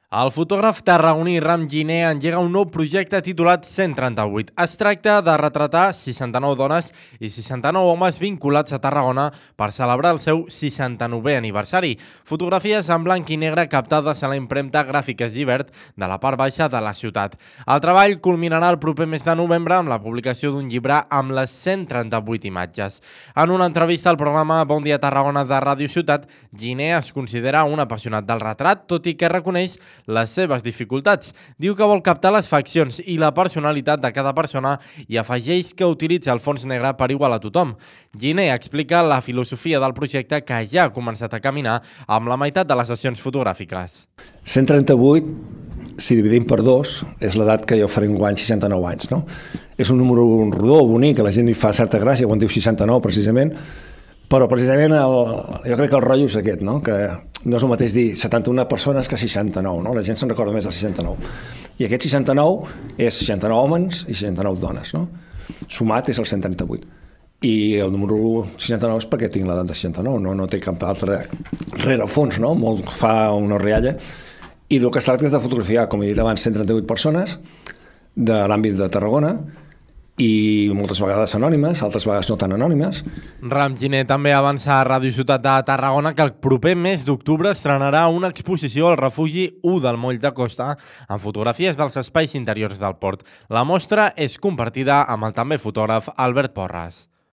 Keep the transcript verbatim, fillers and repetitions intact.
El fotògraf tarragoní Ram Giner engega un nou projecte titulat cent trenta-vuit. Es tracta de retratar seixanta-nou dones i seixanta-nou homes vinculats a Tarragona per celebrar el seu seixanta-novè aniversari. Fotografies en blanc i negre captades a la impremta Gràfiques Llibert de la part baixa de la ciutat. El treball culminarà el proper mes de novembre amb la publicació d'un llibre amb les cent trenta-vuit imatges. En una entrevista al programa Bon dia Tarragona de Ràdio Ciutat, Giner es considera un apassionat del retrat, tot i que reconeix les seves dificultats. Diu que vol captar les faccions i la personalitat de cada persona i afegeix que utilitza el fons negre per igual a tothom. Giner explica la filosofia del projecte que ja ha començat a caminar amb la meitat de les sessions fotogràfiques. cent trenta-vuit, si dividim per dos, és l'edat que jo faré un guany, seixanta-nou anys, no? És un número rodó, bonic, que la gent li fa certa gràcia quan diu seixanta-nou, precisament, però precisament el, jo crec que el rotllo és aquest, no? Que no és el mateix dir setanta-una persones que seixanta-nou, no? La gent se'n recorda més del seixanta-nou. I aquest seixanta-nou és seixanta-nou homes i seixanta-nou dones, no? Sumat és el cent trenta-vuit. I el número seixanta-nou és perquè tinc l'edat de seixanta-nou, no, no té cap altre rerefons, no? Molt fa una rialla. I el que es tracta és de fotografiar, com he dit abans, cent trenta-vuit persones de l'àmbit de Tarragona, i moltes vegades anònimes, altres vegades no tan anònimes. Ram Giner també avança a Ràdio Ciutat de Tarragona que el proper mes d'octubre estrenarà una exposició al refugi u del Moll de Costa amb fotografies dels espais interiors del port. La mostra és compartida amb el també fotògraf Albert Porras.